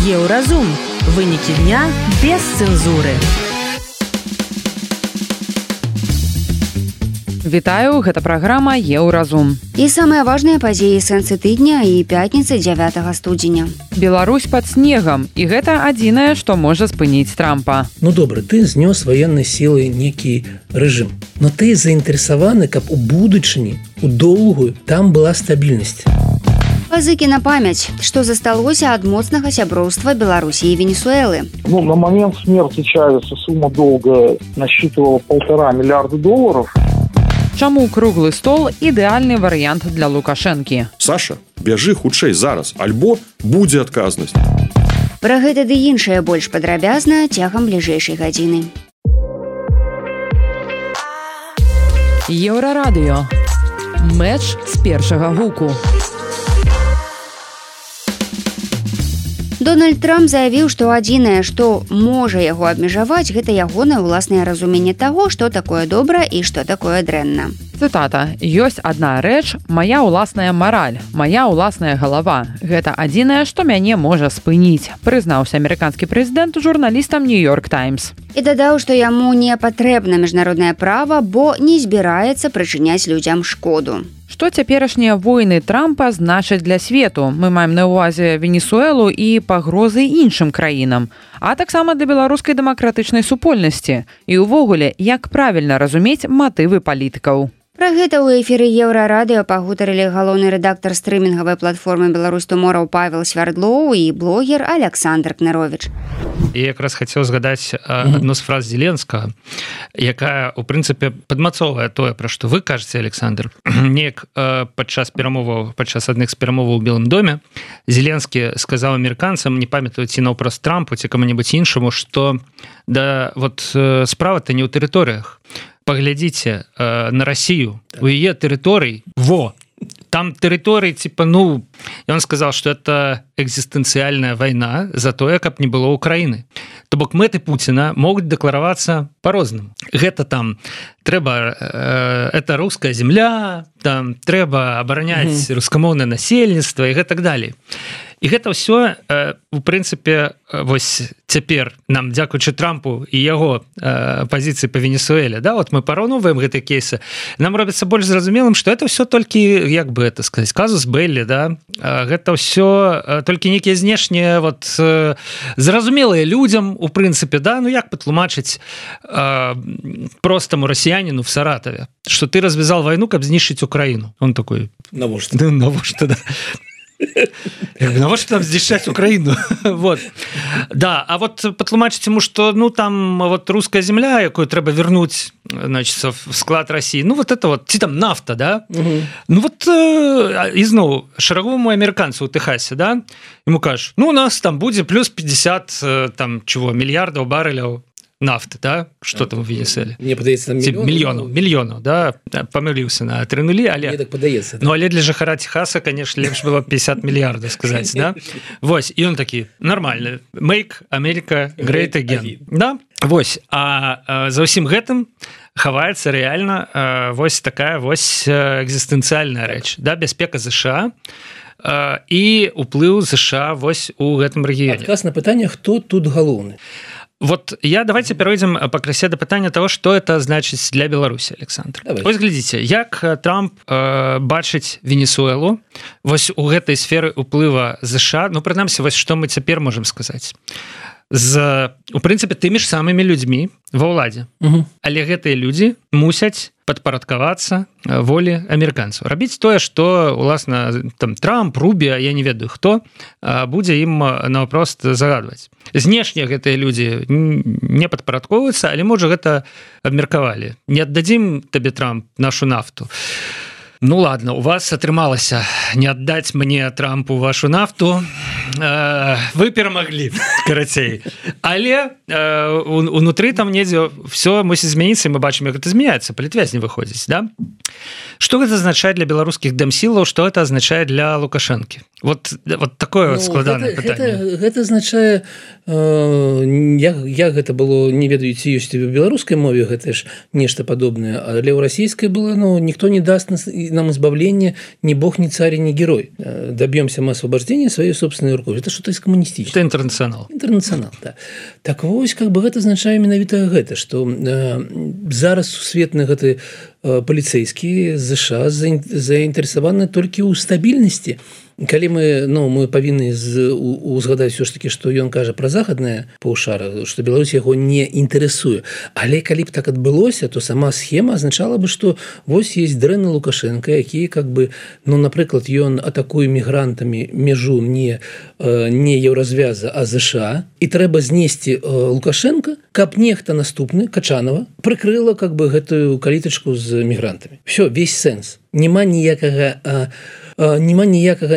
Еўразум. Вынікі дня без цэнзуры. Вітаю, гэта праграма Еўразум. І самыя важныя падзеі сэнсы тыдня і пятніцы 9 студзеня. Беларусь пад снегам, і гэта адзінае, што можа спыніць Трампа. Ну добра, ты знёс ваеннай сілай некі рэжым. Но ты заінтарэсаваны, каб у будучыні, у доўгую, там была стабільнасць. Пазыкі на памяць, што засталося ад моцнага сяброўства Беларусі і Венесуэлы. На момент смерти Чавеса сумма долга насчитывала $1,5 миллиарда. Чаму круглы стол ідэальны варыянт для Лукашэнкі? Саша, бяжы хутчэй зараз, альбо будзе адказнасць. Пра гэта ды іншае больш падрабязна цягам бліжэйшай гадзіны. Еўрарадыё. Мэч з першага гуку. Дональд Трамп заявіў, што адзінае, што можа яго абмежаваць, гэта ягонае ўласнае разуменне таго, што такое добра і што такое дрэнна. Цытата. «Ёсць адна рэч, мая ўласная мараль, мая ўласная галава. Гэта адзінае, што мяне можа спыніць», прызнаўся амерыканскі прэзідэнт журналістам «Нью-Йорк Таймс». І дадаў, што яму не патрэбна міжнароднае права, бо не збіраецца прычыняць людзям шкоду. Што цяперашнія войны Трампа значаць для свету? Мы маем на ўвазе Венесуэлу і пагрозы іншым краінам, а таксама для беларускай дэмакратычнай супольнасці. І ўвогуле, як правільна разумець матывы палітыкаў? Пра гэта ў эфіры Еўрарадыё пагутарылі галоўны рэдактар стрымінгавай платформы «Беларусь Туморроу» Павел Свярдлоў і блогер Александр Кнырович. Я якраз хацеў згадаць адну з фраз Зеленскага, якая, у прынцыпе, падмацоўвае тое, пра што вы кажаце, Александр. Неяк падчас адных з перамоваў у Белым доме Зеленскі сказаў амерыканцам, не памятаю, ці наўпрост Трампу, ці каму-небудзь іншаму, што справа-то не ў тэрыторыях. Паглядзіце на Россию, у яе тэрыторый, там тэрыторый, он сказал, что это экзистенциальная война за тое, каб не было Украины. То бок мэты Путина могуць дэкларавацца по-рознаму. Гэта там это русская земля, там трэба абараняць рускамоўнае насельніцтва і гэтак далей. І гэта ўсё, у прынцыпе, вось цяпер нам, дзякуючы Трампу і яго пазіцыі па Венесуэле, мы параўноўваем гэтыя кейсы, нам робіцца больш зразумелым, што это ўсё толькі, як бы это сказаць, казус белли, гэта ўсё толькі нейкія знешнія, зразумелыя людзям, у прынцыпе, як патлумачыць простаму расіяніну в Саратове, што ты развязал войну, каб знішчыць Украіну. Он такой... Навошта, да. Навошта там знішчаць Украіну? Да, а патлумачыць ему, што там руская земля, якую трэба вернуць, значит, в склад России, ці там нафта, да? І зноў, шараговаму амерыканцу ў Тэхасе, да? Ему кажаш, у нас там будзе плюс 50 мільярдаў барэляў нафты, да? Что там у Венесуэле? Мне падаецца, мільёнаў, да? Памыліўся на 3 нулі, але... Мне так падаецца. Але для жыхара Техаса, конечно, лепш было 50 мільярдаў сказаць, да? Вось, і он такі, нормальны. Make America great again. Да? Вось, а за ўсім гэтым хаваецца рэальна вось такая экзістэнцыяльная рэч, да? Бяспека США і уплыў США вось у гэтым рэгіёне. Адказ на пытанне, хто тут галоўны? Давайте перейдем пакрысе да пытання того, што это значыць для Беларусі, Александр. Вось глядзіце, як Трамп бачыць Венесуэлу вось у гэтай сферы ўплыва США, прынамсі, вось што мы цяпер можам сказаць. У прынцыпе, тымі ж самымі людзьмі ва ўладзе. Але гэтыя людзі мусяць падпарадкавацца волі амерыканцаў. Рабіць тое, што, уласна, там Трамп, Рубіа, я не ведаю хто, будзе ім наўпрост загадваць. Знешне гэтыя людзі не падпарадковваюцца, але, можа, гэта абмеркавалі. Не аддадзім табе, Трамп, нашу нафту. Ладно, у вас атрымалася не аддаць мне, Трампу, вашу нафту. Вы перамаглі, карацей. Але унутры там недзе все мусіць змяніцца, і мы бачым, як гэта змяняецца, палітвязні выходзіць, да? Что гэта азначае для беларускіх дэмсілаў, што гэта азначае для Лукашэнкі? Вот такое складанае пытанне. Гэта азначае, як гэта было, не ведаю, ці ёсць у беларускай мове, гэта ж нешта падобнае, але ў расійскай было, ніхто не даст нам избавления, ни бог, ни царь, ни герой. Добьемся мы освобождения своей собственной рукой. Это что-то из коммунистического. Это интернационал. Интернационал, да. Так вось, гэта азначае менавіта гэта, што зараз сусветны гэты паліцэйскі ЗША заінтарэсаваны толькі ў стабільнасці. Калі мы павінны узгадаць все ж таки, што ён кажа пра захаднае паўшара, што Беларусь яго не інтарэсуе. Але калі б так адбылося, то сама схема азначала бы, што вось есть дрэнны Лукашенко, які напрыклад, ён атакуе мігрантамі мяжу не Еўразвяза, а ЗША, і трэба знесці Лукашенко, каб нехта наступны, Качанова, прыкрыла гэтую калітачку з мігрантамі. Все, весь сэнс. Няма ніякага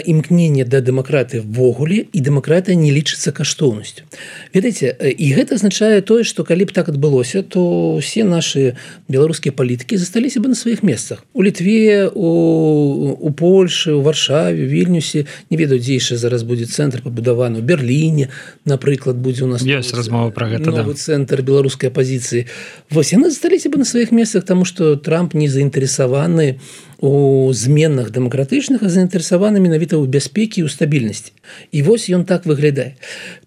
імкнення да дэмакратыі ввогуле, і дэмакратыя не лічыцца каштоўнасцю. Ведаеце, і гэта азначае тое, што калі б так адбылося, то ўсе нашы беларускія палітыкі засталіся бы на сваіх месцах. У Літве, у Польшы, у Варшаве, у Вільнюсе, не ведаю, дзе яшчэ зараз будзе цэнтр пабудаваны, у Берліне, напрыклад, будзе у нас ёсць размова пра гэта, новы цэнтр беларускай апазіцыі. Вось яны засталіся бы на сваіх месцах, таму што Трамп не заінтарэсаваны у зменах дэмакратычных, а заінтарэсаваны менавіта ў бяспекі і ў стабільнасці. І вось ён так выглядае.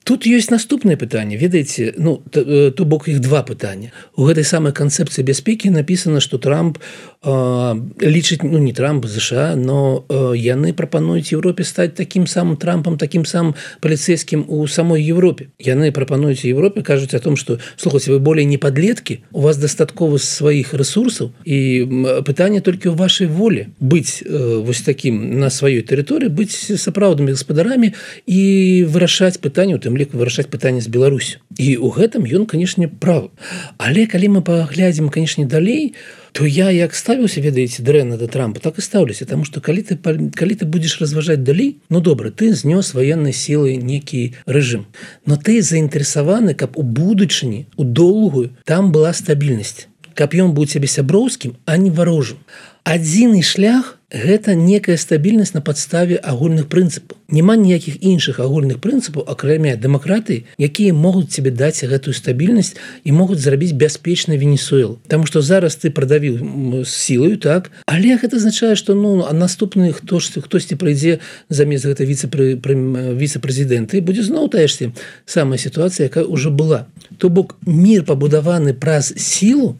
Тут ёсць наступнае пытанне. Ведаеце, то бок іх два пытання. У гэтай самай канцэпцыі бяспекі напісана, што Трамп лічыць, не Трамп, ЗША, но яны прапануюць Еўропе стаць такім самым Трампам, такім самым паліцэйскім у самой Еўропе. Яны прапануюць Еўропе, кажуць о том, што, слухайце, вы болей не падлеткі, у вас дастаткова сваіх рэсурсаў, і пытанне толькі ў вашай волі быць вось такім на сваёй тэрыторыі, быць сапраўднымі гаспадарамі і вырашаць пытанне, у тым ліку вырашаць пытанне з Беларусю. І ў гэтым ён, канешне, правы. Але калі мы паглядзім, канешне, далей, то я як ставіўся, ведаеце, дрэнна да Трампа, так і стаўлюся, таму што калі ты будзеш разважаць далей, добра, ты знёс ваеннай сілай некі рэжым, но ты заінтарэсаваны, каб у будучыні, у доўгую, там была стабільнасць, каб ён быў цябе сяброўскім, а не варожым. Адзіны шлях – гэта некая стабільнасць на падставе агульных прынцыпаў. Няма ніякіх іншых агульных прынцыпаў, акрамя дэмакратыі, якія могуць тебе даць гэтую стабільнасць і могуць зрабіць бяспечнай Венесуэлу. Таму што зараз ты прадавіў сілаю, так? Але гэта азначае, што наступны хтосьці прыйдзе замест гэтай віцэ-прэзідэнта і будзе зноў тая ж самая сітуацыя, якая ўжо была. То бок мір пабудаваны праз сілу,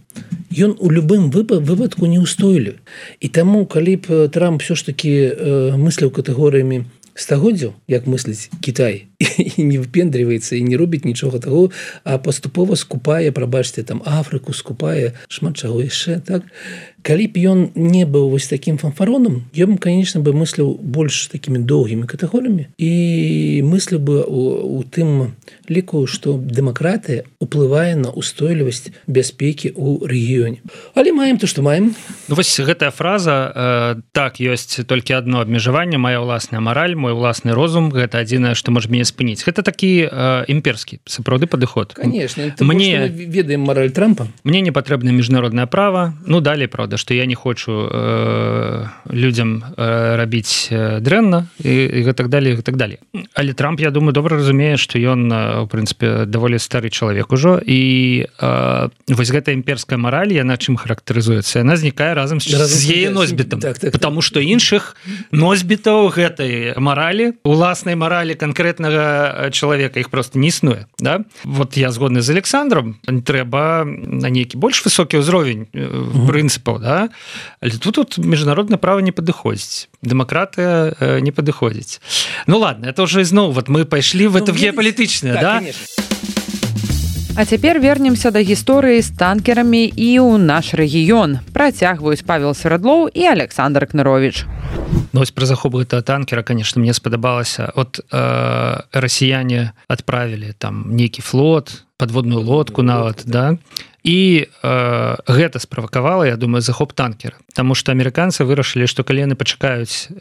ён у любым выпадку неустойлівы. І таму, калі б Трамп все ж таки мысліў катэгорыямі стагоддзяў, як мысліць Кітай, і не выпендріваецца і не робіць нічога таго, а паступова скупае, прабачце, там Афрыку, скупае шмат чаго яшчэ, так? Калі б ён не быў вось такім фанфаронам, ён, конечно, бы мысліў больш такімі доўгімі катэгорыямі і мысліў бы у тым ліку, што дэмакратыя уплывае на устойлівасць бяспекі ў рэгіёне. Але маем то, што маем. Вось гэтая фраза, так, ёсць толькі адно абмежаванне, моя ўласная мараль, мой уласны розум, гэта адзінае, што можа мяне спыніць. Гэта такі імперскі, сапраўды падыход. Конечно, мы ведаем мараль Трампа. Мне не патрэбна міжнароднае права, далей, правда, што я не хочу людзям рабіць дрэнна і гэтак далей, гэтак далей. Але Трамп, я думаю, добра разумее, што ён, у прынцыпе, даволі стары чалавек ужо, і вось гэтая імперская мараль, яна чым характарызуецца? Яна знікае разам з яе носьбітам. Потому што іншых носьбітаў гэтай маралі, уласнай маралі канкрэтнага чалавека, іх просто не існуе. Да? Вот я згодны з Александром, трэба на нейкі больш высокі ўзровень прынцыпаў, да? Але тут міжнароднае права не падыходзіць, дэмакратыя не падыходзіць. Ладно, это уже зноў мы пайшлі в это геапалітычнае, да? Конечно. А цяпер вернемся да гісторыі з танкерамі і ў наш рэгіён. Працягваюць Павел Свердлоў і Александр Кнырович. Вось пра захоп гэтага танкера, конечно, мне спадабалася. Расіяне адправілі там нейкі флот, подводную лодку нават, да? І гэта справакавала, я думаю, захоп танкера. Таму што амерыканцы вырашылі, што калі яны пачакаюць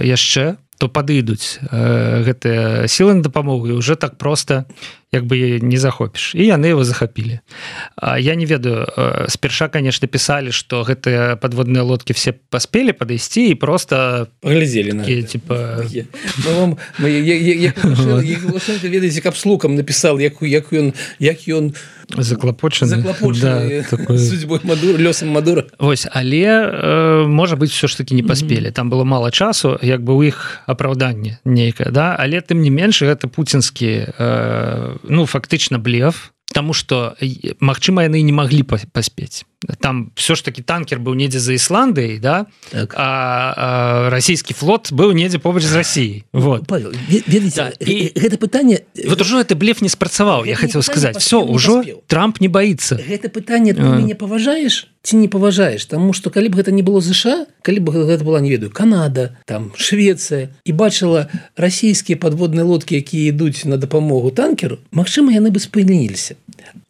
яшчэ, то падыдуць гэтыя сілы на дапамогу, і ўжо так проста як бы не захопіш, і яны его захапілі. Я не ведаю, спярша, конечно, пісалі, што гэтыя подводныя лодкі все паспелі падысці і просто паглядзелі на гэта. Типа... ведаеце, каб слукам напісаў, як ён заклапочаны судьбой Мадура, лёсам Мадура. Вось, але можа быць все ж таки не паспелі. Там было мала часу, як бы у іх апраўданне нейкае, да? Але тым не менш гэта пуцінскі фактычна блеф, тому что магчыма яны не маглі паспець. Там все ж таки танкер быў недзе за Ісландыяй, да? Так. А расійскі флот быў недзе побач з Расіяй. Вот. Павел, ведаеце, гэта пытанне... Вот ужо гэты блеф не спрацаваў, я хацеў сказаць. Все, ужо Трамп не баіцца. Гэта пытанне, ты мяне паважаеш ці не паважаеш? Таму што калі б гэта не было ЗША, калі б гэта была, не ведаю, Канада, там, Швецыя, і бачыла расійскія падводныя лодкі, якія ідуць на дапамогу танкеру, магчыма, яны бы спыніліся.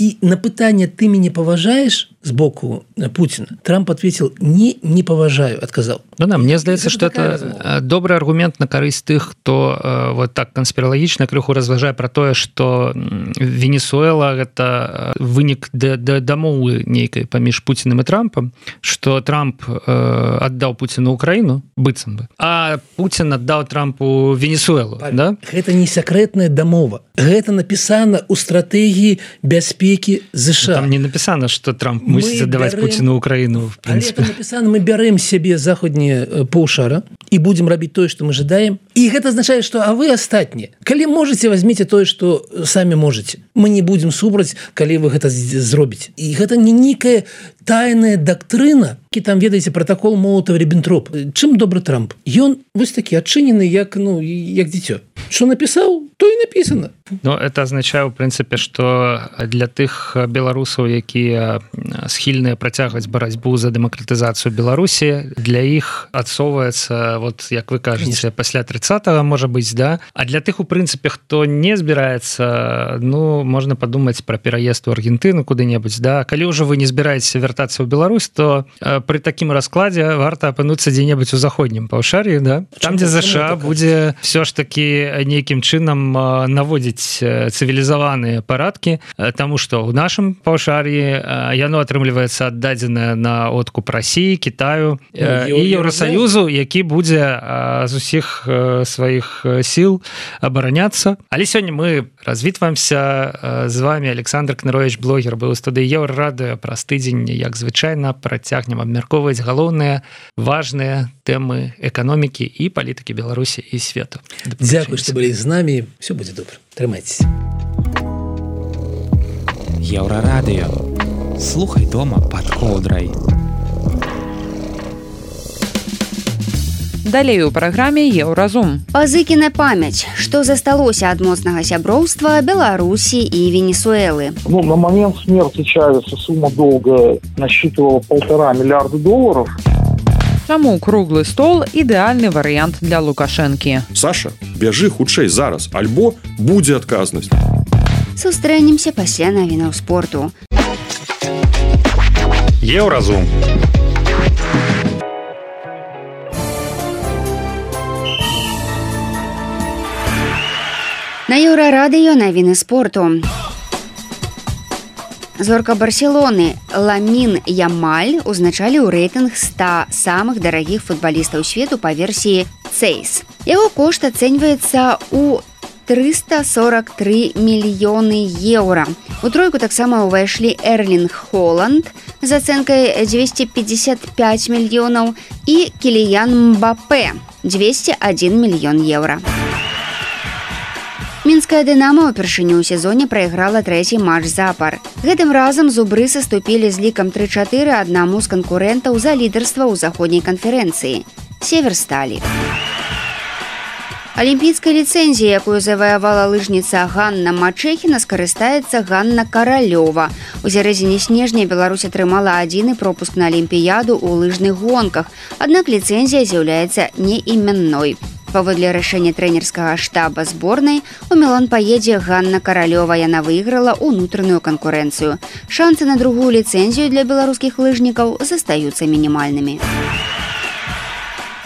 І на пытанне «ты мяне паважаеш» з боку Путина Трамп ответил «не паважаю», отказал. Да, мне здаецца, что это добрый аргумент на карысць тых, хто вот так канспіралагічна крыху разважае про тое, что Венесуэла гэта вынік дамовы нейкай паміж Путиным и Трампом, что Трамп отдал Путину Украину, быццам бы, а Путин отдал Трампу Венесуэлу. Да? Гэта не секретная дамова. Гэта написано у стратегии бяспеки США. Там не написано, что Трамп мусіць аддаваць Путину Украину, в принципе. Але написано, мы бярем себе заходнее паўшара и будем рабіць тое, что мы жадаем. И гэта означает, что а вы астатние. Калі можете, возьмите тое, что сами можете. Мы не будем супраць, калі вы гэта зробіце. И гэта не некая тайная доктрина, які там, ведаеце, протокол Молотова-Риббентропа. Чым добры Трамп? Ён вось такі адчынены, як дзіцё. Что написал, то и написано. Ну, это означае, в принципе, что для тых беларусаў, якія схільныя працягваць барацьбу за дэмакратызацыю Беларусі, для іх адсоўваецца, вот, як вы кажаце, пасля 30-го, можа быць, да? А для тых, у прынцыпе, хто не збіраецца, ну, можна падумаць пра пераезд у Аргентыну куды-небудзь, да? Калі ўжо вы не збіраецеся вяртацца ў Беларусь, то пры такім раскладзе варта апынуцца дзе-небудзь у заходнім паўшар'і, да? Там, дзе ЗША будзе все ж таки нейкім чынам наводзіць цывілізаваныя парадкі, таму што ў нашым паўшар'і яно атрымліваецца аддадзенае на откуп Расіі, Кітаю і Еўрасаюзу, які будзе з усіх сваіх сіл абараняцца. Але сёння мы развітваемся з вами. Александр Кнырович, блогер, быў у студыі Еўрарадыё. Праз тыдзень, як звычайна, працягнем абмяркоўваць галоўныя важныя тэмы эканомікі і палітыкі Беларусі і свету. Дзякуй, што былі з намі. Все будзе добра. Трымайцеся. Еўрарадыё. Слухай дома пад коўдрай. Далей у праграме «Еўразум». Пазыкіна памяць. Што засталося ад моцнага сяброўства Беларусі і Венесуэлы? На момент смерти Чавеса сумма долга насчитывала $1,5 миллиарда. Чаму круглы стол – ідэальны варыянт для Лукашэнкі? Саша, бяжы хутчэй зараз, альбо будзе адказнасць. Сустрэнемся пасля навінаў спорту. Еўразум. На Еўрарадыё навіны спорту. Зорка Барселоны Ламін Ямаль узначалі ў рэйтынг 100 самых дарагіх футбалістаў свету па версіі Цейс. Яго кошт ацэньваецца ў 343 мільёны еўра. У тройку таксама ўвайшлі Эрлінг Холанд з ацэнкай 255 мільёнаў і Кіліян Мбапе 201 мільён еўра. Мінская «Дынамо» ўпершыню ў сезоне прайграла трэці матч запар. Гэтым разам зубры саступілі з лікам 3-4 аднаму з канкурэнтаў за лідарства ў заходняй канферэнцыі – «Северсталі». Алімпійскай ліцэнзіяй, якую заваявала лыжніца Ганна Мачэхіна, скарыстаецца Ганна Каралёва. У сярэдзіне снежня Беларусь атрымала адзіны пропуск на алімпіяду ў лыжных гонках, аднак ліцэнзія з'яўляецца неіменной. Паводле рашэння трэнерскага штаба зборнай, у Мілан паедзе Ганна Каралёва. Яна выйграла ўнутраную канкурэнцыю. Шансы на другую ліцэнзію для беларускіх лыжнікаў застаюцца мінімальнымі.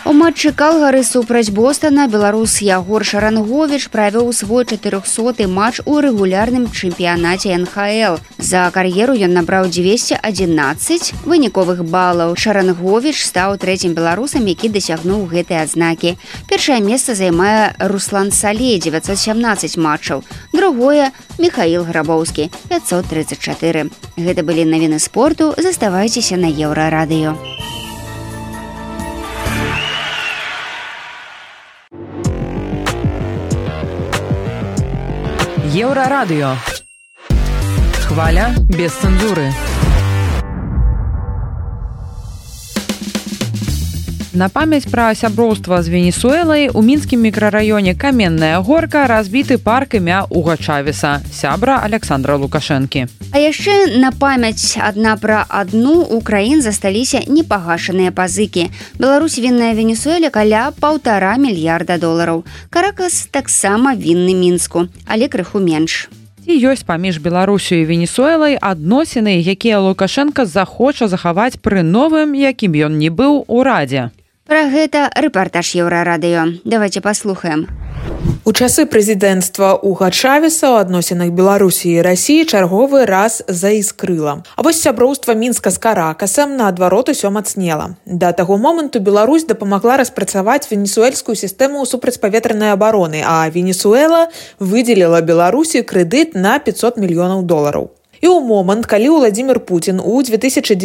У У матчы Калгары супраць Бостона беларус Ягор Шаранговіч правёў свой 400-й матч у рэгулярным чэмпіянаце НХЛ. За кар'еру ён набраў 211 выніковых балаў. Шаранговіч стаў трэцім беларусам, які дасягнуў гэтай адзнакі. Першае месца займае Руслан Салей, 917 матчаў. Другое – Михаил Грабоўскі, 534. Гэта былі навіны спорту. Заставайцеся на Еўрарадыё. Еўрарадыё. Хваля без цэнзуры. На памяць пра сяброўства з Венесуэлай у мінскім мікрараёне Каменная Горка разбіты парк імя Уга Чавеса, сябра Александра Лукашэнкі. А яшчэ на памяць адна пра адну у краін засталіся непагашаныя пазыкі. Беларусь вінная Венесуэле каля $1,5 мільярда. Каракас таксама вінны Мінску, але крыху менш. Ці ёсць паміж Беларусю і Венесуэлай адносіны, якія Лукашенка захоча захаваць пры новым, якім ён не быў, урадзе? Пра гэта рэпартаж Еўрарадыё. Давайте паслухаем. У часы прэзідэнцтва Уга Чавеса ў адносінах Беларусі і Расіі чарговы раз заіскрыла. А вось сяброўства Мінска з Каракасам наадварот усё мацнела. Да таго моманту Беларусь дапамагла распрацаваць венесуэльскую сістэму супрацьпаветранай абароны, а Венесуэла выдзеліла Беларусі крэдыт на $500 мільёнаў. І ў момант, калі Владзімір Пуцін у 2010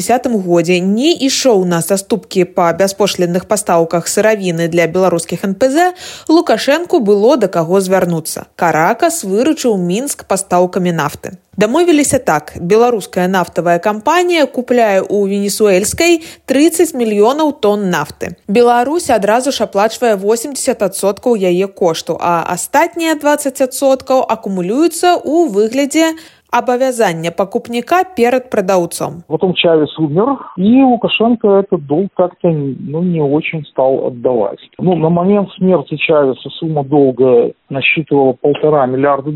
годзе не ішоў на саступкі па бяспошлінных пастаўках сыравіны для беларускіх НПЗ, Лукашэнку было да каго звярнуцца. Каракас выручыў Мінск пастаўкамі нафты. Дамовіліся так. Беларуская нафтавая кампанія купляе ў венесуэльскай 30 мільёнаў тонн нафты. Беларусь адразу ж аплачвае 80% яе кошту, а астатнія 20% акумулююцца ў выглядзе обовязание покупника перед продавцом. Потом Чавес умер, и Лукашенко этот долг как-то не очень стал отдавать. На момент смерти Чавеса сумма долга насчитывала $1,5 миллиарда.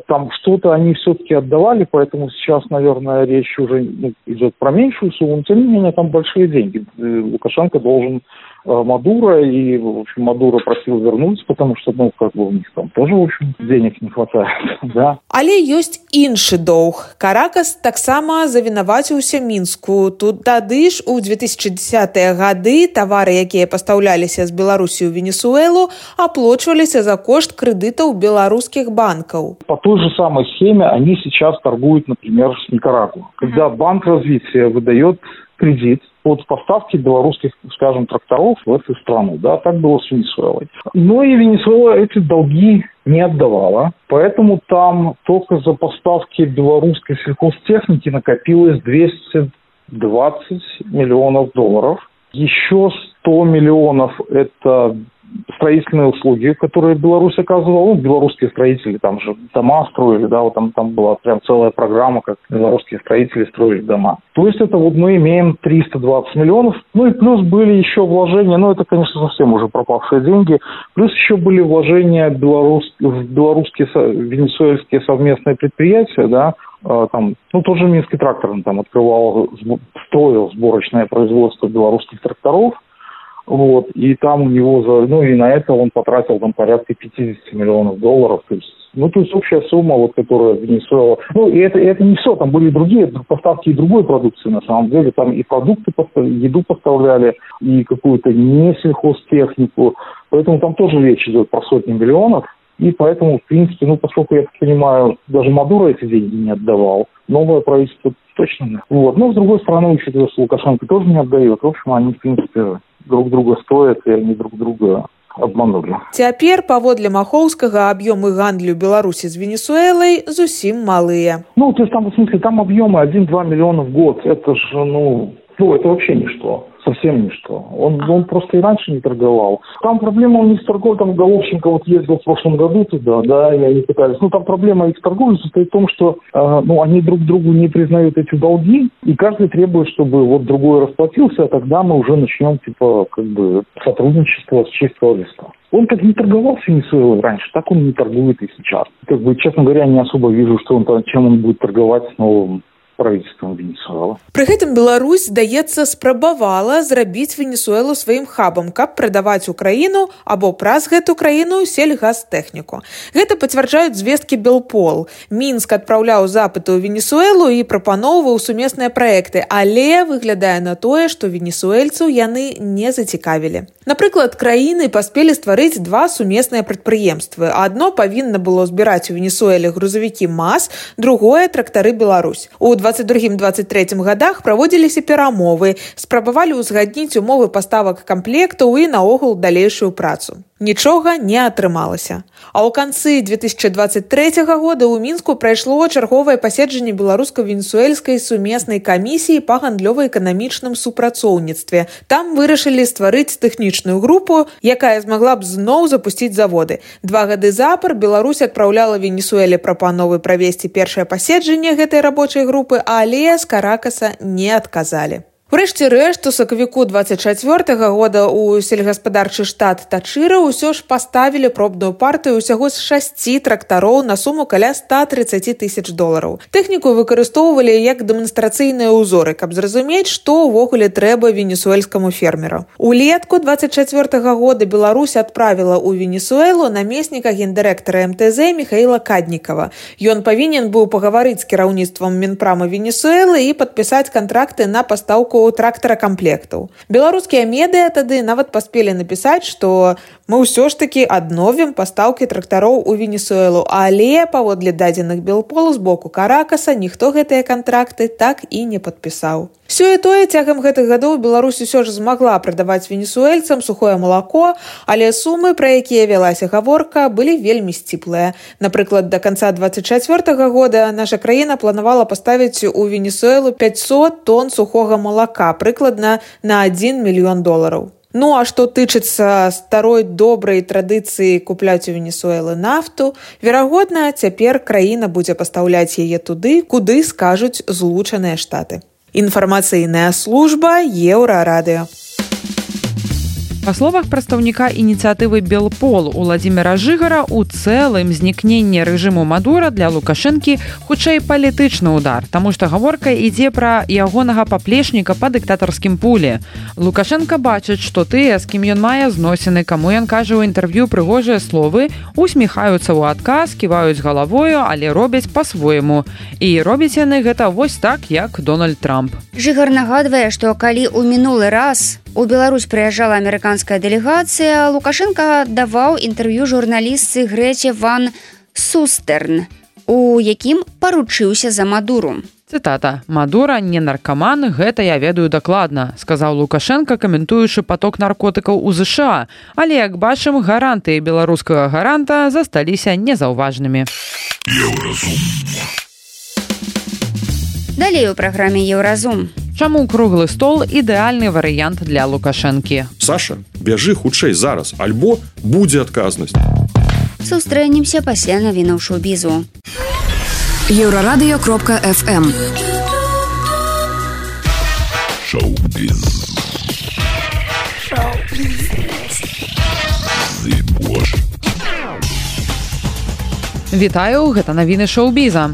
Там что-то они все-таки отдавали, поэтому сейчас, наверное, речь уже идет про меньшую сумму, но тем не менее там большие деньги. Лукашенко должен Мадуро, и, в общем, Мадуро просил вернуться, потому что, у них там тоже, в общем, денег не хватает, да. Але ёсць іншы доўг. Каракас таксама завінаваціўся Мінску. Тут тады ж у 2010-е гады тавары, якія пастаўляліся з Беларусі ў Венесуэлу, аплачваліся за кошт крэдытаў беларускіх банкаў. По той же самой схеме они сейчас торгуют, например, с Никарагуа. Когда Банк развития выдает кредит под поставки белорусских, скажем, тракторов в эту страну. Да, так было с Венесуэлой. Но и Венесуэла эти долги не отдавала. Поэтому там только за поставки белорусской сельхозтехники накопилось $220 миллионов. Еще 100 миллионов – это строительные услуги, которые Беларусь оказывала. Белорусские строители там же дома строили, да, вот там была прям целая программа, как белорусские строители строили дома. То есть это мы имеем 320 миллионов. И плюс были еще вложения, это, конечно, совсем уже пропавшие деньги. Плюс еще были вложения в белорусские, венесуэльские совместные предприятия, да. Там, тоже Минский трактор там строил сборочное производство белорусских тракторов. И там у него и на это он потратил там порядка $50 миллионов. То есть общая сумма, которая Венесуэла. И это не все, там были другие поставки и другой продукции на самом деле. Там и продукты, еду поставляли, и какую-то не сельхозтехнику. Поэтому там тоже речь идет про сотни миллионов. И поэтому, в принципе, поскольку, я так понимаю, даже Мадуро эти деньги не отдавал, новое правительство точно нет. Но, с другой стороны, учитывая, что Лукашенко тоже не отдает, в общем, они, в принципе, друг друга стоят, и они друг друга обманули. Цяпер, паводле Махоўскага, аб'ёмы гандлю Беларусі з Венесуэлай зусім малыя. То есть там, в смысле, там объемы 1-2 миллиона в год. Это же, это вообще ничто. Совсем ничто. Он просто и раньше не торговал. Там проблема у них с торговлей, там Головченко ездил в прошлом году туда, да, и они пытались. Там проблема их торговли состоит в том, что они друг другу не признают эти долги, и каждый требует, чтобы другой расплатился, а тогда мы уже начнем, сотрудничество с чистого листа. Он как не торговал с Венесуэлой раньше, так он не торгует и сейчас. Честно говоря, не особо вижу, чем он будет торговать с новым правительством Венесуэлы. Пры гэтым Беларусь, здаецца, спрабавала зрабіць Венесуэлу сваім хабам, каб прадаваць Украіну або праз гэту краіну сельгазтэхніку. Гэта пацвярджаюць звесткі Белпол. Мінск адпраўляў запыты ў Венесуэлу і прапаноўваў сумесныя праекты, але выглядае на тое, што венесуэльцаў яны не зацікавілі. Напрыклад, краіны паспелі стварыць два сумесныя прадпрыемствы. Адно павінна было збіраць у Венесуэле грузавікі МАЗ, другое – трактары Беларусь. У 22-23 годах праводзіліся перамовы, спрабавалі ўзгадніць умовы паставак камплектаў і наогул далейшую працу. Нічога не атрымалася. А ў канцы 2023 года ў Мінску прайшло чарговае паседжанне беларуска-венесуэльскай сумеснай камісіі па гандлёва-эканамічным супрацоўніцтве. Там вырашылі стварыць тэхнічную групу, якая змагла б зноў запусціць заводы. 2 гады запар Беларусь адпраўляла Венесуэле прапановы правесці першае паседжанне гэтай рабочай групы, але з Каракаса не адказалі. Урэшце рэшт, у сакавіку 24 года ў сельгаспадарчы штат Тачыра ўсё ж паставілі пробную партыю ўсяго з 6 трактароў на суму каля $130 000. Тэхніку выкарыстоўвалі як дэманстрацыйныя ўзоры, каб зразумець, што ўвогуле трэба венесуэльскаму фермеру. Улетку 24 года Беларусь адправіла ў Венесуэлу намесніка гендырэктара МТЗ Михаила Каднікава. Ён павінен быў пагаварыць з кіраўніцтвам Мінпрама Венесуэлы і падпісаць кантракты на пастаўку трактара камплектаў. Беларускія медыа тады нават паспелі напісаць, што мы ўсё ж такі адновім пастаўкі трактароў у Венесуэлу, але паводле дадзеных Белполу з боку Каракаса ніхто гэтыя кантракты так і не падпісаў. Сёе-тое, цягам гэтых гадоў Беларусь усё ж змагла прадаваць венесуэльцам сухое малако, але сумы, пра якія вялася гаворка, былі вельмі сціплыя. Напрыклад, да канца 24 года наша краіна планавала паставіць у Венесуэлу 500 тонн сухога малака, прыкладна на $1 мільён. Ну, а што тычыцца старой добрай традыцыі купляць у Венесуэлы нафту, верагодна, цяпер краіна будзе пастаўляць яе туды, куды скажуць Злучаныя Штаты. Інфармацыйная служба Еўрарадыё. Па словах прадстаўніка ініцыятывы Белпол Уладзіміра Жыгара, у цэлым знікненне рэжыму Мадура для Лукашэнкі хутчэй палітычны ўдар, таму што гаворка ідзе пра ягонага паплечніка па дыктатарскім пуле. Лукашэнка бачыць, што тыя, з кім ён мае зносіны, каму ён кажа ў інтэрв'ю прыгожыя словы, усміхаюцца ў адказ, ківаюць галавою, але робяць па-свойму. І робяць яны гэта вось так, як Дональд Трамп. Жыгар нагадвае, што калі ў мінулы раз у Беларусь прыязджала амерыканская дэлегацыя, Лукашенко даваў інтэрв'ю журналістцы Грэце Ван Сустерн, у якім паручыўся за Мадуру. Цытата: «Мадура не наркаман, гэта я ведаю дакладна», сказаў Лукашенко, каментуючы поток наркотыкаў у ЗША. Але, як бачым, гарантыі беларускага гаранта засталіся незаўважнымі. Далей у праграме «Еўразум». Чаму круглы стол ідэальны варыянт для Лукашэнкі? Саша, бяжы хутчэй зараз, альбо будзе адказнасць. Сустрэнемся пасля навінаў шоу-бізу. Еўрарадыё.фм. Шоу-біз. Вітаю, гэта навіны шоу-біза.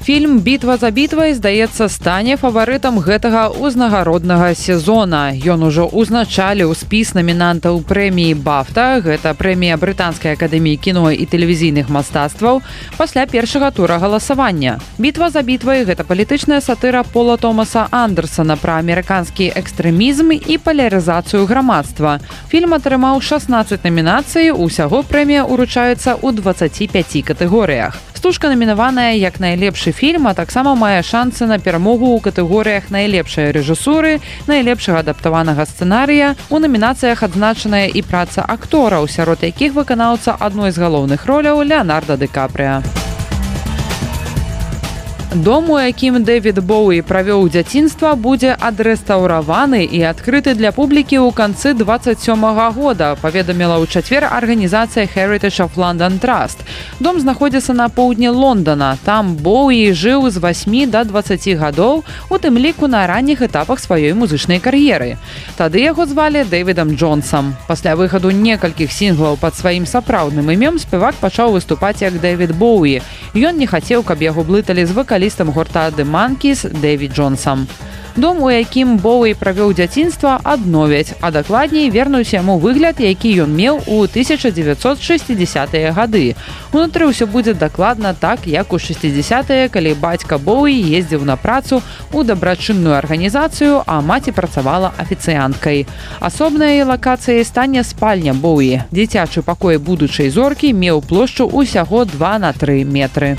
Фільм «Бітва за бітвай», здаецца, стане фаварытам гэтага ўзнагароднага сезона. Ён ужо ўзначаліў спіс намінантаў прэміі «Бафта», гэта прэмія Брытанскай акадэміі кіно і тэлевізійных мастацтваў, пасля першага тура галасавання. «Бітва за бітвай» – гэта палітычная сатыра Пола Томаса Андерсона пра амерыканскі экстрэмізм і палярызацыю грамадства. Фільм атрымаў 16 намінацый, усяго прэмія ўручаецца ў 25 катэгорыях. Стужка намінаваная як найлепшы фільм, а таксама мае шансы на перамогу ў катэгорыях найлепшай рэжысуры, найлепшага адаптаванага сцэнарыя. У намінацыях адзначаная і праца актораў, сярод якіх выканаўца адной з галоўных роляў Леанарда Ді Капрыа. Дом, у якім Дэвід Боуі правёў дзяцінства, будзе адрэстаўраваны і адкрыты для публікі ў канцы 27-го года, паведаміла ў чацвер арганізацыя Heritage of London Trust. Дом знаходзіцца на поўдні Лондона. Там Боуі жыў з 8 до 20 гадоў, у тым ліку на ранніх этапах сваёй музычнай кар'еры. Тады яго звалі Дэвідам Джонсам. Пасля выхаду некалькіх сінглаў пад сваім сапраўдным імем спевак пачаў выступаць як Дэвід Боуі. Ён не хацеў, каб яго блыталі з вакалістам гурта The Monkees Дэвід Джонсам. Дом, у якім Боуі правёў дзяцінства, адновяць, а дакладней вернуць яму выгляд, які ён меў у 1960-е гады. Унутры ўсё будзе дакладна так, як у 60-е, калі бацька Боуі ездзіў на працу ў дабрачынную арганізацыю, а маці працавала афіцыянткай. Асобнай лакацыяй стане спальня Боуі. Дзіцячы пакой будучай зоркі меў плошчу ўсяго 2 на 3 метры.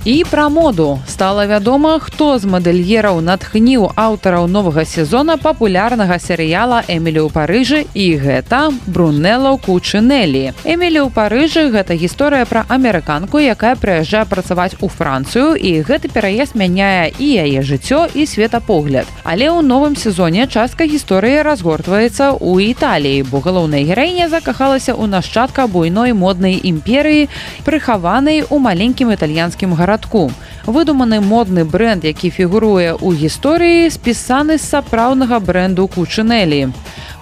І пра моду. Стала вядома, хто з мадэльераў натхніў аўтараў новага сезона папулярнага серыяла «Эмілі ў Парыжы», і гэта Брунелло Кучинеллі. «Эмілі ў Парыжы» – гэта гісторыя пра амерыканку, якая прыязджае працаваць у Францыю, і гэты пераезд мяняе і яе жыццё, і светапогляд. Але ў новым сезоне частка гісторыі разгортваецца ў Італіі, бо галоўная гераіня закахалася ў нашчадка буйной моднай імперыі, прыхаванай у маленькім італьянскім гарадку. Выдуманы модны бренд, які фігуруе ў гісторыі, спісаны з сапраўднага бренду Кучинеллі.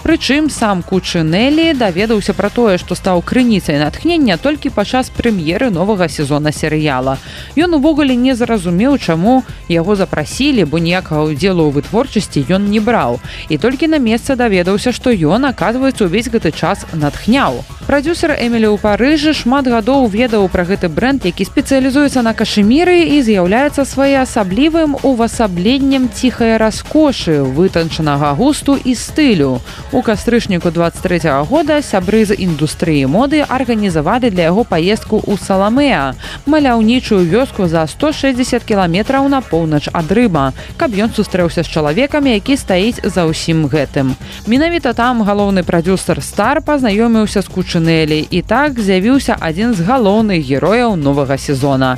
Прычым сам Кучинеллі даведаўся пра тое, што стаў крыніцай натхнення толькі падчас прэм'еры новага сезона серыяла. Ён увогуле не зразумеў, чаму яго запрасілі, бо ніякага ўдзелу ў вытворчасці ён не браў. І толькі на месцы даведаўся, што ён, аказваецца, увесь гэты час натхняў. Прадзюсер «Эмілі ў Парыжы» шмат гадоў ведаў пра гэты бренд, які спецыялізуецца на кашеміры і з'яўляецца своеасаблівым увасабленнем ціхай раскошы, вытанчанага густу і стылю. У кастрычніку 23-го года сябры з індустрыі моды арганізавалі для яго паездку ў Саламеа, маляўнічую вёску за 160 кіламетраў на поўнач ад Рыма, каб ён сустрэўся з чалавекам, які стаіць за ўсім гэтым. Менавіта там галоўны прадзюсер Стар пазнаёміўся з Кучинеллі, і так з'явіўся адзін з галоўных герояў новага сезона.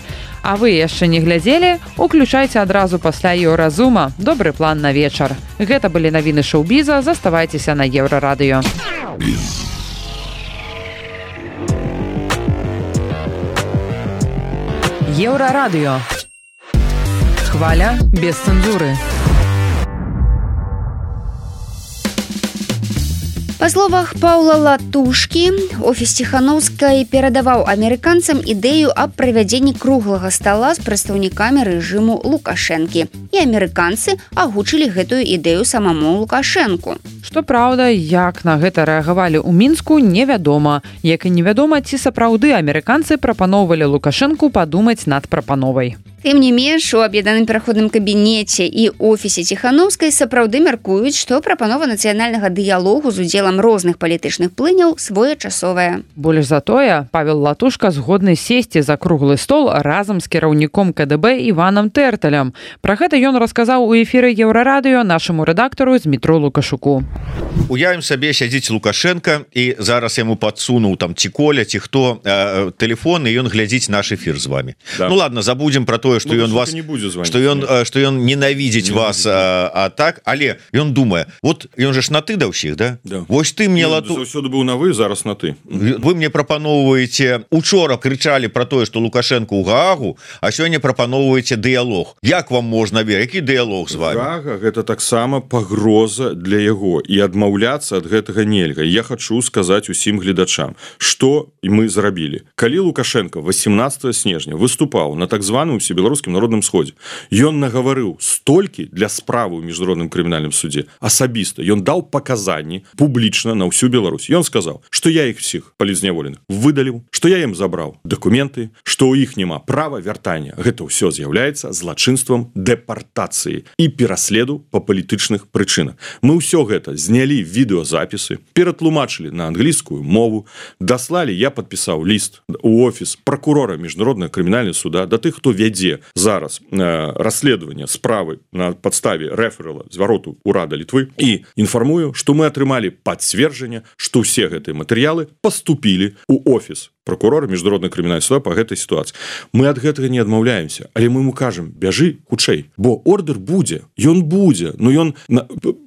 А вы яшчэ не глядзелі? Уключайце адразу пасля Еўразума. Добры план на вечар. Гэта былі навіны шоу-біза. Заставайцеся на Еўрарадыё. Еўрарадыё. Хваля без цэнзуры. Па словах Паўла Латушкі, офіс Ціханаўскай перадаваў амерыканцам ідэю аб правядзенні круглага стала з прадстаўнікамі рэжыму Лукашэнкі. І амерыканцы агучылі гэтую ідэю самому Лукашэнку. Што праўда, як на гэта рэагавалі ў Мінску, невядома. Як і невядома, ці сапраўды амерыканцы прапаноўвалі Лукашэнку падумаць над прапановай. Тым не менш, у аб'яднаным пераходным кабінеце і офісе Ціханаўскай сапраўды мяркуюць, што прапанова нацыянальнага дыялогу з удзелам розных палітычных плыняў своечасовая. Больш за тое, Павел Латушка згодны сесці за круглы стол разам з кіраўніком КДБ Іванам Тэрталем. Пра гэта ён расказаў у эфіры Еўрарадыё нашаму рэдактару Дмітру Лукашуку. Уявім сабе, сядзіць Лукашенко, і зараз яму падсунуў там ці Коля, ці хто тэлефон, і ён глядзіць наш эфір з вами. Да. Ну ладно, забудзем про тое, што ён вас, што ён ненавідзіць вас, а так, але ён думае, вот ён же ж на ты да ўсіх, да? Да. Вось ты мне заўсёды быў на вы, зараз на ты. Вы мне прапаноўваеце, учора крычалі про тое, што Лукашенко ў Гаагу, а сёння прапаноўваеце дыялог. Як вам можна верыць? Які дыялог з вами? Гаага гэта таксама пагроза для яго, і адмаўляцца ад гэтага нельга. Я хачу сказаць усім гледачам, што мы зрабілі. Калі Лукашенко 18 снежня выступаў на так званым Всебеларускім народным сходзе, ён нагаварыў столькі для справы ў міжнародным крымінальным судзе асабіста. Ён даў паказанні публічна на ўсю Беларусь. Ён сказаў, што я іх всіх палізняволеных выдаліў, што я ім забраў дакументы, што ў іх няма права вяртання. Гэта ўсё з'яўляецца злачынствам дэпартацыі і пераследу па палітычных прычынах. Мы ўсё гэта знялі відэазапісы, ператлумачылі на англійскую мову, даслалі, я падпісаў ліст у офіс пракурора міжнароднага крымінальнага суда да тых, хто вядзе зараз расследаванне справы на падставе рэферала звароту урада Літвы, і інфармую, што мы атрымалі пацверджанне, што ўсе гэтыя матэрыялы паступілі ў офіс прокурора міжнароднай крымінальнай суда по гэтай сітуацыі. Мы ад гэтага не адмаўляемся, але мы ему кажам, бяжы хутчэй, бо ордер будзе, ён будзе, но ён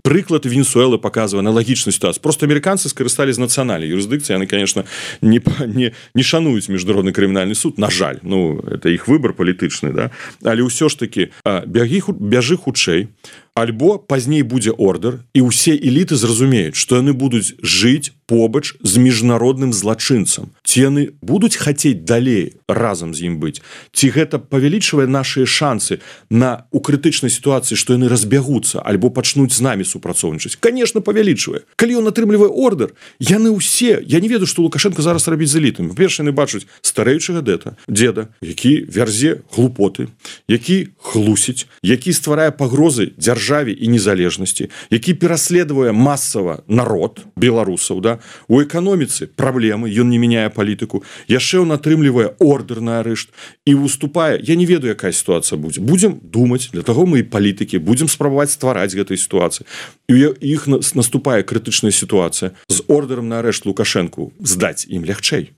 прыклад Венесуэлы показывае аналагічную сітуацыю. Просто амерыканцы скарысталі з нацыянальнай юрысдыкцыі, яны, конечно, не шануюць міжнародны крымінальны суд, на жаль, это іх выбор палітычны, да? Але ўсё ж таки бяжы хутчэй, альбо пазней будзе ордер, і ўсе эліты зразумеюць, што яны будуць жыць побач з міжнародным злачынцам. Ці яны будуць хацець далей разам з ім быць? Ці гэта павялічвае нашыя шансы у крытычнай сітуацыі, што яны разбягуцца, альбо пачнуць з намі супрацоўнічаць? Конечно, павялічвае. Калі ён атрымлівае ордер, яны ўсе, я не ведаю, што Лукашенко зараз рабіць з элітамі. Па-першае, яны бачаць старэючага дзеда, які вярзе глупоты, які хлусіць, які стварае пагрозы дзяржаве і незалежнасці, які пераследуе масава народ беларусаў, да? У эканоміцы праблемы, ён не мяняе палітыку, яшчэ ён атрымлівае ордер на арышт і выступае, я не ведаю, якая сітуацыя будзе. Будзем думаць, для таго мы і палітыкі, будзем спрабаваць ствараць гэтай сітуацыі. І іх наступае крытычная сітуацыя. З ордерам на арышт Лукашэнку здаць ім лягчэй.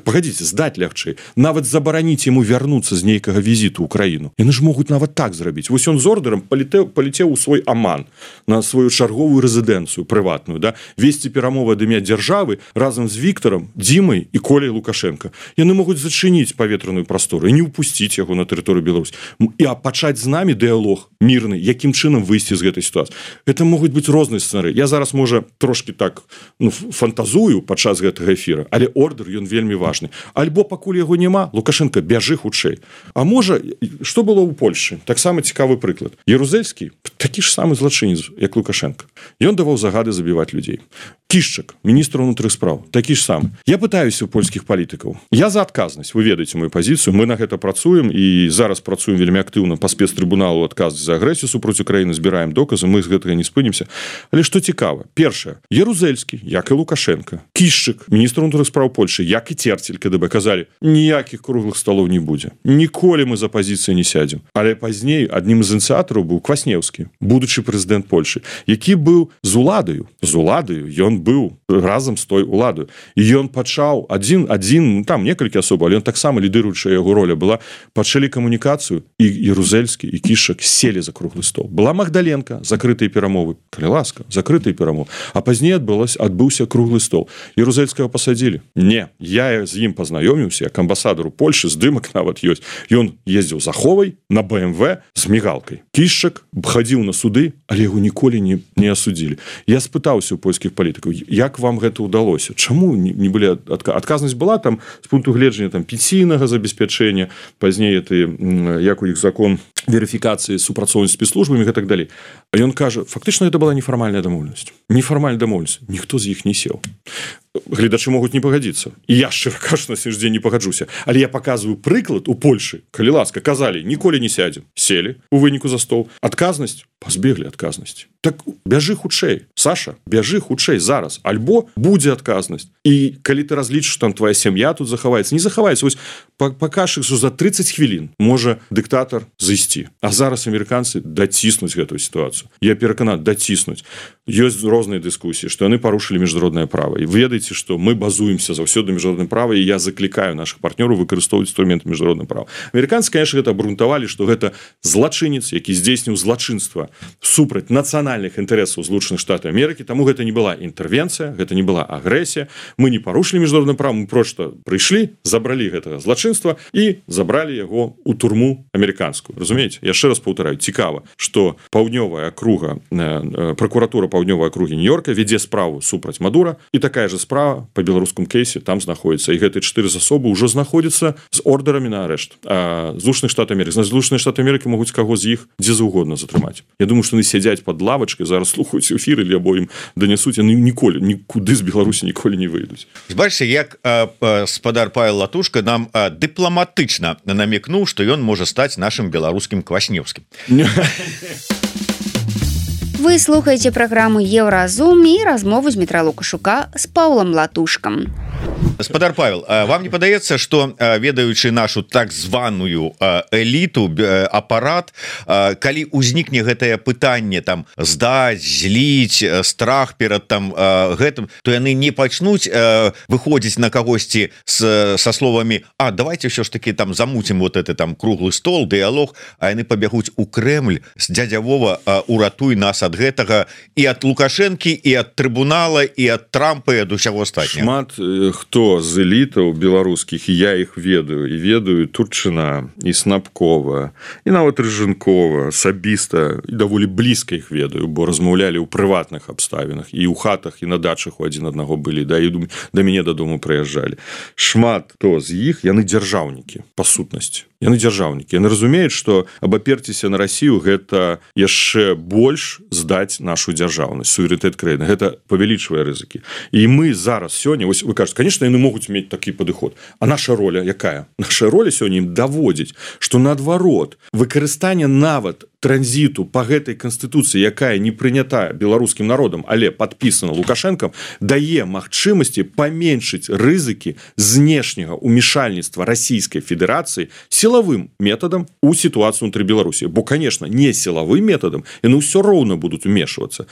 Пагадзіце, здаць лягчэй. Нават забараніць яму вярнуцца з нейкага візіту ў краіну. Яны ж могуць нават так зрабіць. Вось ён з ордерам палетеў у свой Аман, на сваю чарговую рэзідэнцыю прыватную, да? Весці перамовы ад імя дзяржавы разам з Віктарам, Дзімай і Коляй Лукашенко. Яны могуць зачыніць паветраную прастору і не ўпусціць яго на тэрыторыю Беларусі. І пачаць з намі дыялог мірны, якім чынам выйсці з гэтай сітуацыі. Гэта могуць быць розныя сцэнарыі. Я зараз, можа, трошки так фантазую падчас гэтага эфіра, але ордер, ён вельмі важны. Альбо пакуль яго няма, Лукашенко, бяжы хутчэй. А можа, што было ў Польшы? Таксама цікавы прыклад. Ярузельскі, такі ж самы злачынец, як Лукашенко. Ён даваў загады забіваць людзей. Кішчак, міністр унутраных спраў, такі ж самы. Я пытаюся ў польскіх палітыкаў. Я за адказнасць, вы ведаеце мою пазіцыю, мы на гэта працуем і зараз працуем вельмі актыўна па спецтрыбуналу адказ за агрэсію супраць Украіны, збіраем доказы, мы з гэтага не спынімся. Але што цікава, першае, Ярузельскі, як і Лукашенко, Кішчак, міністр унутраных спраў Польшы, як і Церцель, КДБ, казалі, ніякіх круглых сталоў не будзе. Ніколі мы за пазіцыю не сядзем. Але пазней аднім з ініцыятараў быў Кваснеўскі, будучы прэзідэнт Польшы, які быў з уладаю, ён быў разам з той уладаю. І ён пачаў адзін, там некалькі асоб, але ён таксама лідыруючая яго роля была, пачалі камунікацыю, і Ярузельскі, і Кішчак селі за круглы стол. Была Магдаленка, закрытыя перамовы, калі ласка, закрытыя перамовы. А пазней адбыўся круглы стол. Ярузельскага пасадзілі? Не, я з ім пазнаёміўся, як амбасадару Польшы, здымак нават ёсць. Ён ездзіў з Аховай на БМВ з мігалкай. Кішчак хадзіў на суды, але яго ніколі не асудзілі. Я спытаўся ў польскіх палітыкаў, як вам гэта ўдалося? Чаму не былі адказнасць была там з пункту гледжання там пенсійнага забеспячэння, пазней як у іх закон верыфікацыі супрацоўніцтва спецслужбамі і так далей. А ён кажа, фактычна гэта была нефармальная дамоўленасць. Нефармальная дамоўленасць. Ніхто з іх не сеў. Гледачы могуць не пагадзіцца. І я, шчыра кажучы, на сённяшні дзень не пагаджуся. Але я паказваю прыклад у Польшы. Калі ласка, казалі, ніколі не сядзем. Сели у выніку за стол. Адказнасць? Пазбеглі адказнасці. Так бяжы хутчэй. Саша, бяжы хутчэй зараз. Альбо будзе адказнасць. І калі ты разлічыш, там твоя сям'я тут захаваецца, не захаваецца. Вось пакажаш, што за 30 хвілін можа дыктатар зайсці. А зараз амерыканцы даціснуць гэтую сітуацыю. Я перакананы, даціснуць. Ёсць розныя дыскусіі, што яны парушылі міжнароднае права. І ведаеце, што мы базуемся заўсёды на міжнародным праве, і я заклікаю нашых партнёраў выкарыстоўваць інструменты міжнароднага права. Амерыканцы, конечно, гэта абрунтавалі, што гэта злачынец, які здзейсніў злачынства супраць нацыянальных інтарэсаў Злучаных Штатаў Амерыкі, таму гэта не была інтэрвенцыя, гэта не была агрэсія. Мы не парушылі міжнароднае права, мы проста прыйшлі, забралі гэтага злачынства і забралі яго ў турму амерыканскую. Разумееце? Яшчэ раз паўтараю, цікава, што паўднёвая акруга, пракуратура паўднёвай акругі Нью-Йорка вядзе справу супраць Мадура, і такая же справа по беларускам кейсе там знаходіцца. І гэтыя 4 асобы ўжо знаходзяцца з ордэрамі на арышт. Злучаных Штатаў Амерыкі. Злучаныя Штаты Амерыкі могуць каго з іх дзе заўгодна затрымаць. Я думаю, што яны сядзяць пад лавачкай, зараз слухаюць эфіры, або ім данясуць, яны ніколі, нікуды з Беларусі ніколі не выйдуць. Бачыце, як спадар Павел Латушка нам дыпламатычна намекнуў, што ён можа стаць нашым беларускім Кваснеўскім. Вы слухаеце праграму Еўразум і размову з Дмітра Лукашука з Паўлам Латушкам. Спадар Павел, вам не падаецца, што ведаючы нашу так званую эліту, апарат, калі ўзнікне гэтае пытанне там здаць, зліць, страх перад там гэтым, то яны не пачнуць выходзіць на кагосьці со словамі: а давайте все ж таки там замутим вот это там круглый стол, дыялог, а яны пабягуць у Кремль с дядя Вова, уратуй нас ад гэтага і ад Лукашэнкі, і ад трыбунала, і ад Трампа, і ад усяго астатняга. Шмат хто з элітаў беларускіх, і я іх ведаю, і ведаю Турчына, і Снапкова, і нават Рыжынкова, асабіста, і даволі блізка іх ведаю, бо размаўлялі ў прыватных абставінах, і ў хатах, і на дачах у адзін аднаго былі, да, і да мяне дадому прыязджалі. Шмат хто з іх, яны дзяржаўнікі, па сутнасці. Яны дзяржаўнікі. Яны разумеюць, што абаперціся на Расію гэта яшчэ больш здаць нашу дзяржаўнасць, суверэнітэт краіны. Гэта павялічвае рызыкі. І мы зараз сёння, вось вы кажаце, конечно, яны могуць мець такі падыход. А наша роля якая? Наша роля сёння ім даводзіць, што наадварот, выкарыстанне нават транзіту по гэтай канстытуцыі, якая не прынята беларускім народам, але падпісана Лукашэнкам, дае магчымасці паменшыць рызыкі знешняга ўмешальніцтва Расійскай Федэрацыі сілавым метадам у сітуацыю ўнутры Беларусі. Бо, конечно, не сілавым метадам, яны ўсё роўна будуць умешвацца.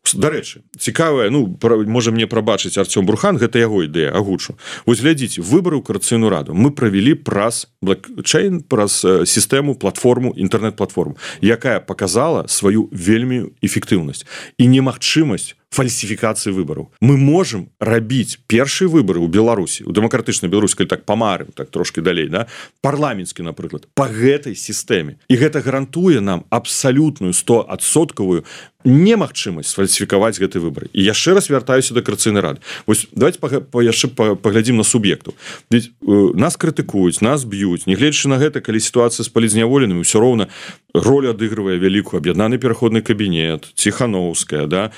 Дарэчы, цікавая, можа мне прабачыць Артём Бурхан, гэта яго ідэя, агучу. Вось глядзіце, выбары ў Коордынацыйную раду мы правялі праз блокчейн, праз сістэму, платформу, інтэрнэт-платформу, якая показала сваю вельмі эфектыўнасць і немагчымасць фальсіфікацыі выбараў. Мы можам рабіць першыя выбары ў Беларусі, у дэмакратычнай Беларусі, калі так памарым, так трошки далей, да? Парламенtsкі, напрыклад, па гэтай сістэме. І гэта гарантуе нам абсалютную 100% немагчымасць фальсіфікаваць гэты выбары. І яшчэ раз вяртаюся да Коордынацыйнай рады. Вось давайте яшчэ паглядзім на суб'ектаў. Ведь нас крытыкуюць, нас б'юць, нягледзячы на гэта, калі сітуацыя з палізняволенымі, ўсё роўна роль адыгрывае вялікую аб'яднаны пераходны кабінет, Ціхановская, да,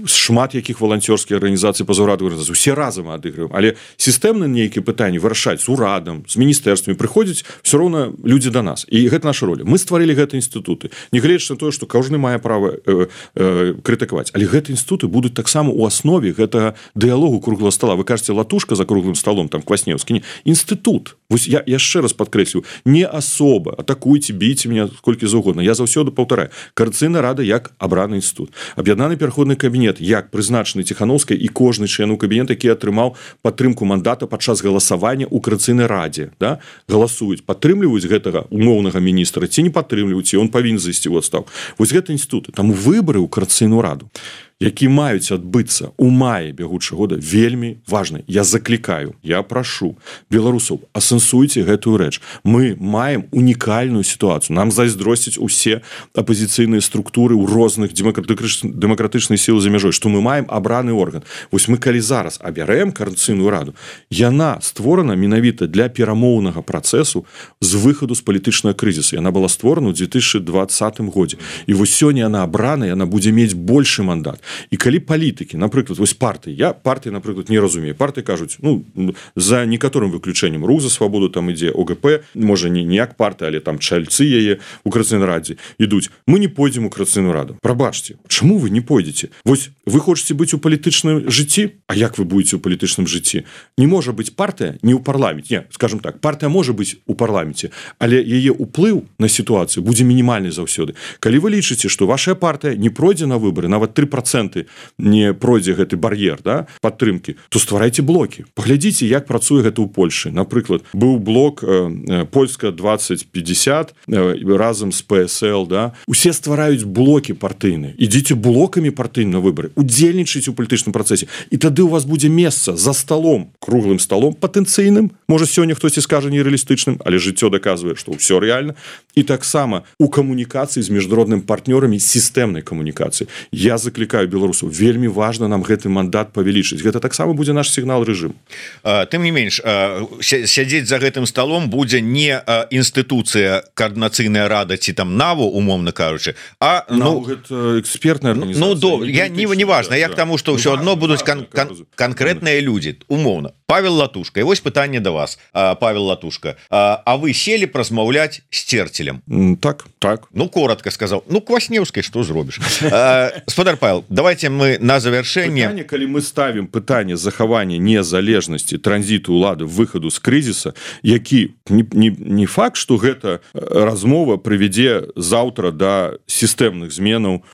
шмат якіх валанцёрскіх арганізацый пазаўрадавых арганізацый, усе разам адыгрываем, але сістэмна нейкія пытанні вырашаць з урадам, з міністэрствамі, прыходзяць ўсё роўна людзі да нас. І гэта наша роля. Мы стварылі гэты інстытуты. Нягледзячы на тое, што кожны мае права крытыкаваць, але гэтыя інстытуты будуць таксама у аснове гэтага дыялогу круглого стола. Вы кажаце, латушка за круглым столом, там Кваснеўскі, не, інстытут. Вось я яшчэ раз падкрэслю, не асоба, атакуйце, бійце меня колькі заўгодна. Я заўсёды паўтараю, Коордынацыйная рада як абраны інстытут, аб'яднаны пераходны кабінет як прызначаны Ціхановскай і кожны член у кабінет, які атрымаў падтрымку мандата падчас галасавання ў Коордынацыйнай радзе, да? Галасуюць, падтрымліваюць гэтага умоўнага міністра ці не падтрымліваюць, і он павінен зайсці ў адстаўку. Вось гэта інстытут. Таму выбары ў Коордынацыйную раду, які маюць адбыцца ў маі бягучага года, вельмі важны. Я заклікаю, я прашу беларусаў, асэнсуйце гэтую рэч. Мы маем унікальную сітуацыю. Нам зайздросцяць усе апазіцыйныя структуры ў розных дэмакратычных сіл за мяжой, што мы маем абраны орган. Вось мы калі зараз абярэм Коордынацыйную раду, яна створана менавіта для перамоўнага працэсу з выхаду з палітычнага крызісу. Яна была створана ў 2020 годзе. І вось сёння яна абрана, яна будзе мець большы мандат. І калі палітыкі, напрыклад, вось партыі, я партыі, напрыклад, не разумею. Партыі кажуць, за некаторым выключэннем, Рух за свабоду, там ідзе ОГП, можа не як партыя, але там чальцы яе у Коордынацыйнай радзе ідуць. Мы не пойдзем у Коордынацыйную раду. Прабачце, чаму вы не пойдзеце? Вось вы хочаце быць у палітычным жыцці? А як вы будете у палітычным жыцці? Не можа быць партыя не ў парламенце. Не, скажем так, партыя можа быць у парламенце, але яе ўплыў на сітуацыю будзе мінімальны заўсёды. Калі вы лічыце, што ваша партыя не пройдзе на выбары, нават 3% не пройдзе гэты бар'ер, да, падтрымкі, то стварайце блокі. Паглядзіце, як працуе гэта ў Польшы. Напрыклад, быў блок Польска 2050 разам з ПСЛ, да. Усе ствараюць блокі партыйныя. Ідзіце блокамі партыйныя на выбары, удзельнічайце ў палітычным працэсе. І тады у вас будзе месца за столом, круглым столом патэнцыйным. Можа, сёння хтосьці скажа нерэалістычным, але жыццё даказвае, што ўсё рэальна. І таксама у камунікацыі з міжнароднымі партнёрамі, сістэмнай камунікацыі. Я заклікаю беларусаў, вельмі важна нам гэты мандат павялічыць. Гэта таксама будзе наш сігнал рэжыму. Тым не менш, сядзець за гэтым столом будзе не інстытуцыя Коордынацыйная рада ці там НАВО, умоўна кажучы, а экспертная арганізацыя. Не важна, як таму, што ўсё адно будуць канкрэтныя людзі, умоўна. Павел Латушка, і вось пытанне да вас, Павел Латушка. А вы сели празмаўляць з Церцелем? Так. Ну, коротко сказаў. Ну, Кваснеўскай што зробіш? Спадар Павел, давайте мы на завершэнне пытанне, калі мы ставім пытанне захавання незалежнасці транзіту улады выхаду з крызіса, які не факт, што гэта размова прывядзе заўтра да сістэмных зменаў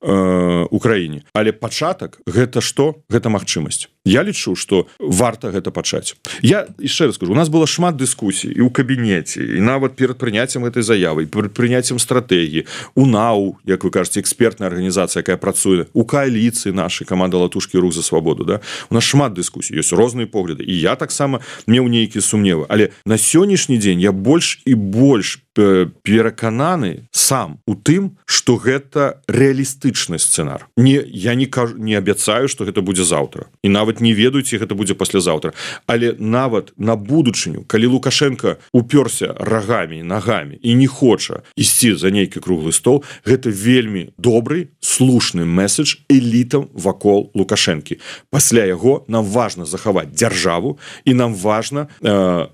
у краіне, але пачатак гэта што? Гэта магчымасць. Я лічу, што варта гэта пачаць. Я яшчэ раз скажу, у нас было шмат дыскусій і ў кабінеце, і нават перад прыняццем гэтай заявы, перад прыняццем стратэгіі, у НАУ, як вы кажаце, экспертная арганізацыя, якая працуе, у кааліцыі нашай каманда «Латушкі рух за свабоду». Да? У нас шмат дыскусій, ёсць розныя погляды. І я таксама меў нейкія сумневы. Але на сённяшні дзень я больш і больш перакананы сам у тым, што гэта рэалістычны сцэнар. Я не абяцаю, што гэта будзе заўтра. І нават не ведаю, ці гэта будзе паслязаўтра. Але нават на будучыню, калі Лукашенко упёрся рагамі, нагамі і не хоча ісці за нейкі круглы стол, гэта вельмі добры, слушны месседж элітам вакол Лукашэнкі. Пасля яго нам важна захаваць дзяржаву і нам важна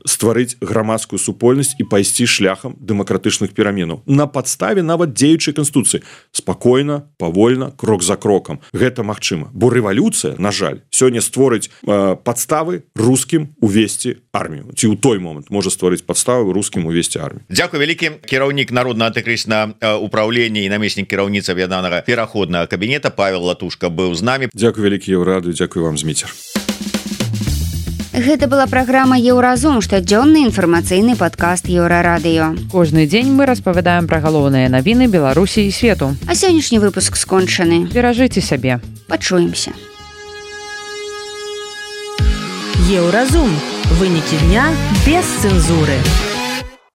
стварыць грамадскую супольнасць і пайсці шляхам дэмакратычных пераменаў. На падставе нават дзеючай канстытуцыі. Спакойна, павольна, крок за крокам. Гэта магчыма. Бо рэвалюцыя, на жаль, сёння створыць падставы рускім увесці армію. Ці ў той момант можа стварыць падставы рускім увесці армію. Дзякуй вялікі. Кіраўнік народнага антыкрызіснага ўпраўлення і намеснік кіраўніцы аб'яднанага пераходнага кабінета Павел Латушка быў з намі. Дзякуй вялікі, Еўрарадыё, дзякуй вам, Зміцер. Гэта была праграма «Еўразум», штодзённы інфармацыйны падкаст Еўрарадыё. Кожны дзень мы распавядаем пра галоўныя навіны Беларусі і свету. А сённяшні выпуск скончаны. Беражыце сябе. Пачуемся. Еўразум. Вынікі дня без цэнзуры.